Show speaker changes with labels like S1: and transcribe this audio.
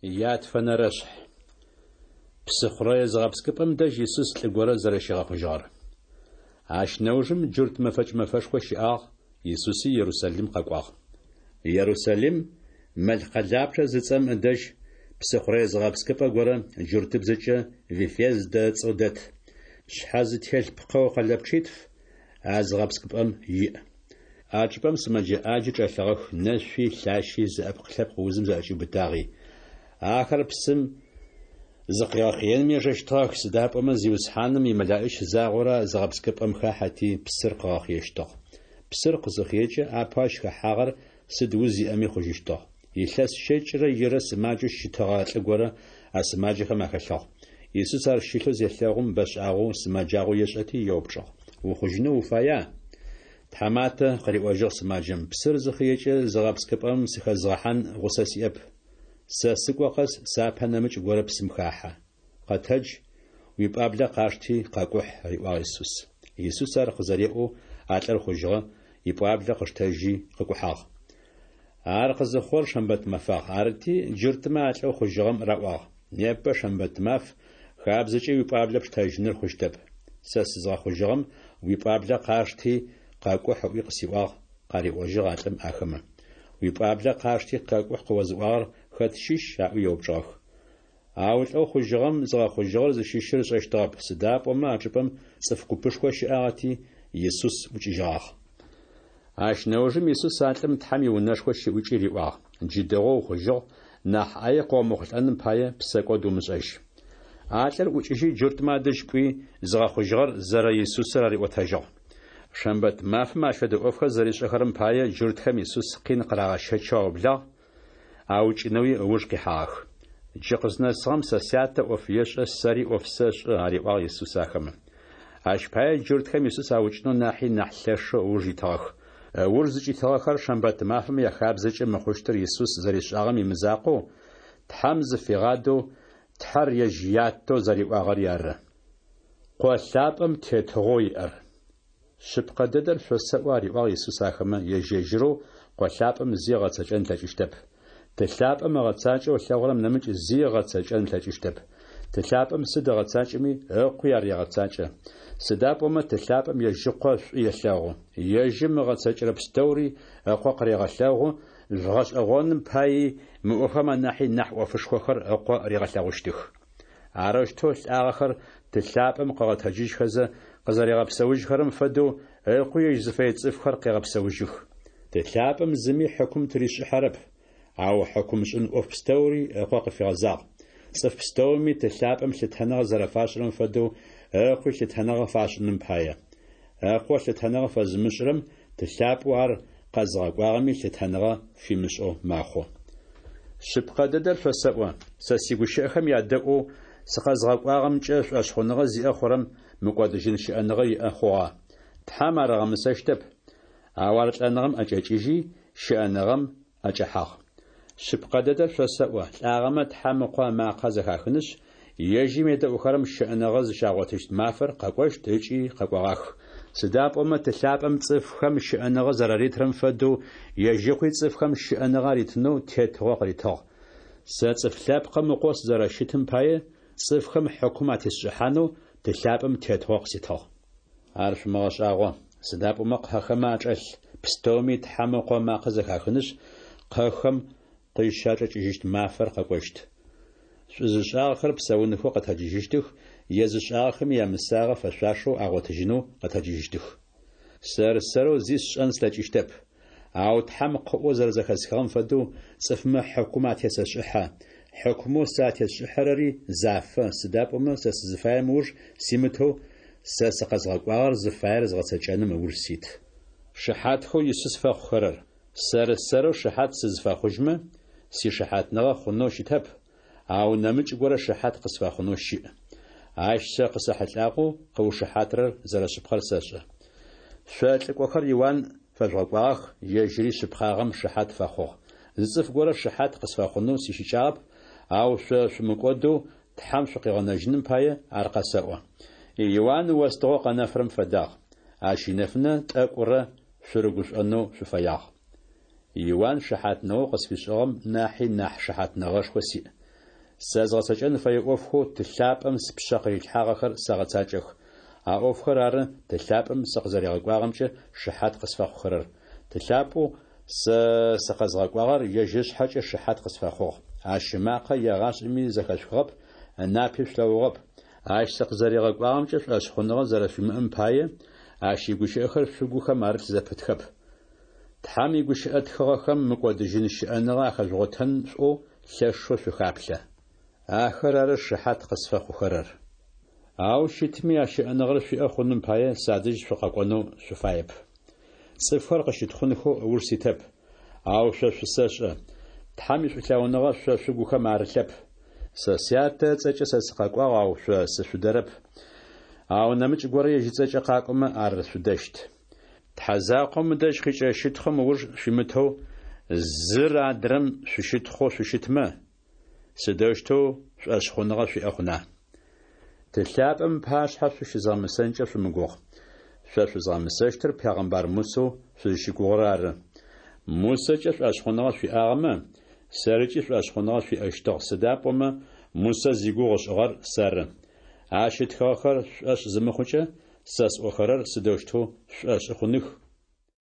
S1: Ятфэнэрэшъхь. Псыхъурэе зыгъэпскӏыпӏэм дэжь Исус лӏы горэ зэрэщигъэхъужьыгъэр. Ащ нэужым джурт мэфэкӏ мэфэшхо щыӏагъ, Исуси Ерусалим къэкӏуагъ. Ерусалим Мэл къэлапчъэ зыцӏэм ыдэжь псыхъурэе зыгъэпскӏыпӏэ горэ джуртыбзэкӏэ Вифездэ ыцӏэу дэт. Шъхьэ зытелъ пкъэу къэлэпчъитф а зыгъэпскӏыпӏэм иӏ. А чӏыпӏэм сымэджэ ӏаджи чӏэлъыгъэх, нэшъуи, лъащи, зыӏэпкъ-лъэпкъ узым зыӏэкӏиубытагъи. Ахэр псым зыкъигъэхъыеным ежэщтыгъэх, сыда пӏомэ Зиусхьаным имэлэӏич загъорэ зыгъэпскӏыпӏэм хахьэти, псыр къыгъэхъыещтыгъ. Псыр къызыхъыекӏэ, апэу ащ хэхьагъэр сыд уз иӏэми хъужьыщтыгъ. Илъэс щэкӏырэ ирэ сымаджэу щытыгъэ лӏы горэ а сымаджэхэм ахэлъыгъ. Исус ар щылъэу зелъэгъум, бэшӏагъэу сымэджагъэу ешӏэти, еупчӏыгъ: Ухъужьынэу уфая? Тхьаматэ, къыриӏожьыгъ сымаджэм, псыр зыхъыекӏэ зыгъэпскӏыпӏэм сыхэзгъэхьан гъусэ сиӏэп. Сэ сыкӏо къэс сапэ нэмыкӏ горэ псым хахьэ. Къэтэдж, уипӏуаблэ къашти, къэкӏухь, риӏуагъ Исус. Исус ар къызэреӏоу а лӏыр хъужьыгъэ, ипӏуаблэ къыштэжьи къыкӏухьагъ. Ар къызыхъугъэр шэмбэт мэфагъ. Арыти, джуртмэ а лӏэу хъужьыгъэм раӏуагъ: Непэ шэмбэт маф, хабзэкӏэ уипӏуаблэ пштэжьыныр хъущтэп. Сэ сызгъэхъужьыгъэм уипӏуаблэ къашти, къэкӏухь ыӏуи къысиӏуагъ, къариӏожьыгъ а лӏым ахэмэ. Уипӏуаблэ къашти, къэкӏухь къыозыӏуагъэр хэт щыщ? аӏуи еупчӏыгъэх. Ау лӏэу хъужьыгъэм зыгъэхъужьыгъэр зыщыщыр ышӏэщтыгъэп, сыда пӏомэ а чӏыпӏэм цӏыф купышхо щыӏагъэти, Исус ӏукӏыжьыгъагъ. Ащ нэужым Исус а лӏым Тхьэм иунэшхо щыӏукӏи риӏуагъ: Джы дэгъоу ухъужьыгъ, нахь ӏае къыомыхъулӏэным пае псэкӏод умышӏэжь. А лӏыр ӏукӏыжьи джуртмэ адэжь кӏуи, зыгъэхъужьыгъэр зэрэ Исусыр ариӏотэжьыгъ. Шэмбэт мафэм ащ фэдэ ӏофхэр зэришӏэхэрэм пае джуртхэм Исус къин къырагъэщэчэу аублагъ, аукӏынэуи ыуж къихьагъэх. Джы къызнэсыгъэм сэ Сятэ ӏоф ешӏэ, сэри ӏоф сэшӏэ, ариӏуагъ Исус ахэмэ. Ащ пае джуртхэм Исус аукӏынэу нахьи нахь лъэшэу ыуж итыгъэх. Ыуж зыкӏитыгъэхэр шэмбэт мафэм яхабзэкӏэ мыхъущтыр Исус зэришӏагъэм имызакъоу, Тхьэм зыфигъадэу, Тхьэр ежь Ятэу зэриӏуагъэри ары. Къо лъапӏэм тетыгъоу иӏэр. Шъыпкъэ дэдэр шъосэӏо, ариӏуагъ Исус ахэмэ, ежь-ежьырэу Къо лъапӏэм зи ыгъэцэкӏэн ылъэкӏыщтэп. Ты лъапӏэм ыгъэцакӏэу ылъэгъурэм нэмыкӏ зи ыгъэцэкӏэн ылъэкӏыщтэп. Ты лъапӏэм сыд ыгъэцакӏэми, Ыкъуи ар егъэцакӏэ. Сыда пӏомэ Ты лъапӏэм ежь Ыкъо шӏу елъэгъу. Ежьым ыгъэцэкӏэрэ пстэури Ыкъо къырегъэлъэгъу, жъугъэшӏэгъоным паий мы ӏофхэм анахьи нахь ӏофышхохэр Ыкъо ригъэлъэгъущтых. Арэущтэу лӏагъэхэр Ты лъапӏэм къыгъэтэджыжьхэзэ къызэригъэпсэужьхэрэм фэдэу, Ыкъуи ежь зыфэе цӏыфхэр къегъэпсэужьых. Ты лъапӏэм зыми хьыкум тыришӏыхьэрэп, ау хьыкумшӏын ӏоф пстэури Ыкъо къыфигъэзагъ. Цӏыф пстэуми Ты лъапӏэм лъытэныгъэ зэрэфашӏырэм фэдэу Ыкъуи лъытэныгъэ фашӏыным пае. Ыкъо лъытэныгъэ фэзымышӏырэм Ты лъапӏэу ар къэзыгъэкӏуагъэми лъытэныгъэ фимышӏэу мэхъу. Шъыпкъэ дэдэр шъосэӏо, сэ сигущыӏэхэм ядэӏоу сыкъэзгъэкӏуагъэмкӏэ шӏошъхъуныгъэ зиӏэ хъурэм мыкӏодыжьын щыӏэныгъэ иӏэ хъугъэ. Тхьэм ар ыгъэмысэщтэп, ау ар лӏэныгъэм ӏэкӏэкӏыжьи, щыӏэныгъэм ӏэкӏэхьагъ. Шъыпкъэ дэдэр шъосэӏо, лӏагъэмэ Тхьэм Ыкъо ымакъэ зэхахынышъ, ежьым едэӏухэрэм щыӏэныгъэ зыщагъотыщт мафэр къэкӏощт ыкӏи къэкӏогъах. Сыда пӏомэ Ты лъапӏэм цӏыфхэм щыӏэныгъэ зэраритырэм фэдэу ежь Ыкъуи цӏыфхэм щыӏэныгъэ аритынэу тетыгъо къыритыгъ. Сэ Цӏыф Лъэпкъым Ыкъоу сызэрэщытым пае, цӏыфхэм хьыкум атесшӏыхьанэу Ты лъапӏэм тетыгъо къыситыгъ. Ар шъумыгъэшӏагъо, сыда пӏомэ кхъэхэмэ ачӏэлъ пстэуми Тхьэм Ыкъо ымакъэ зэхахынышъ, кхъэхэм къызщачӏэкӏыжьыщт мафэр къэкӏощт. Шӏу зышӏагъэхэр псэунхэу къэтэджыжьыщтых, е зышӏагъэхэми ямысагъэ фэшъуашэу агъотыжьынэу къэтэджыжьыщтых. Сэр-сэрэу зи сшӏэн слъэкӏыщтэп. Ау Тхьэм къыӏоу зэрэзэхэсхыгъэм фэдэу цӏыфмэ хьыкум атесэшӏыхьэ. Хьыкумэу сэ атесшӏыхьэрэри зафэ, сыда пӏомэ сэ сызыфаем ыуж симытэу, сэ сыкъэзгъэкӏуагъэр зыфаер згъэцэкӏэным ыуж сит. Шыхьатхэу Исус фэхъухэрэр. Сэр-сэрэу шыхьат сызфэхъужьмэ, сишыхьатныгъэ хъунэу щытэп, ау нэмыкӏ горэ шыхьат къысфэхъунэу щыӏ. Ащ сэ къысэхьылӏагъэу къыушыхьатырэр зэрэшъыпкъэр сэшӏэ. Шъо лӏыкӏохэр Иуан фэжъугъэкӏуагъэх, ежьыри шъыпкъагъэм шыхьат фэхъугъ. Зы цӏыф горэ шыхьат къысфэхъунэу сищыкӏагъэп, ау шъо шъумыкӏодэу Тхьэм шъукъигъэнэжьыным пае ар къэсэӏо. Иуан остыгъэу къэнэфырэм фэдагъ. Ащ инэфынэ тӏэкӏурэ шъурыгушӏонэу шъуфэягъ. Иуан шыхьатныгъэу къысфишӏыгъэм нахьи нахь шыхьатныгъэшхо сиӏ. Сэ згъэцэкӏэн фэе ӏофхэу Ты лъапӏэм спшъэ къырилъхьагъэхэр сэгъэцакӏэх. А ӏофхэр ары Ты лъапӏэм сыкъызэригъэкӏуагъэмкӏэ шыхьат къысфэхъухэрэр. Ты лъапӏэу сэ сыкъэзгъэкӏуагъэр ежь ышъхьэкӏэ шыхьат къысфэхъугъ. Ащ ымакъэ егъашӏэми зэхэшъухыгъэп, ынапи шъулъэгъугъэп. Ащ сыкъызэригъэкӏуагъэмкӏэ шӏошъхъуныгъэ зэрэшъуимыӏэм пае, ащ игущыӏэхэр шъугухэм арылъ зэпытхэп. Тхьэм игущыӏэ тхыгъэхэм мыкӏодыжьын щыӏэныгъэ ахэжъугъотэн шъуӏоу лъэшэу шъухаплъэ. Ахэр ары шыхьат къысфэхъухэрэр. Ау щытми, а щыӏэныгъэр шъуиӏэ хъуным пае, садэжь шъукъэкӏонэу шъуфаеп. Цӏыфхэр къысщытхъунхэу ыуж ситэп, ау шъо шъусэшӏэ. Тхьэм ишӏулъэгъуныгъэ шъо шъугухэм арылъэп. Сэ Сятэ ыцӏэкӏэ сэ сыкъэкӏуагъ, ау шъо сышъудэрэп. Ау нэмыкӏ горэ ежь ыцӏэкӏэ къакӏомэ, ар шъудэщт. Тхьэ закъом ыдэжь къикӏырэ щытхъум ыуж шъуимытэу, зыр адрэм шъущытхъоу шъущытмэ, сыдэущтэу шӏошъхъуныгъэ шъуиӏэ хъуна? Ты лъапӏэм ыпашъхьэ шъущызгъэмысэнкӏэ шъумыгугъ. Шъо шъузгъэмысэщтыр пегъэмбар Мусэу шъузщыгугъырэр ары. Мусэкӏэ шӏошъхъуныгъэ шъуиӏагъэмэ, сэрыкӏи шӏошъхъуныгъэ шъуиӏэщтыгъ, сыда пӏомэ Мусэ зигугъу ышӏыгъэр сэры. Ащ ытхыгъэхэр шъушӏошъ зымыхъукӏэ, сэ сӏохэрэр сыдэущтэу шъушӏошъы хъуных?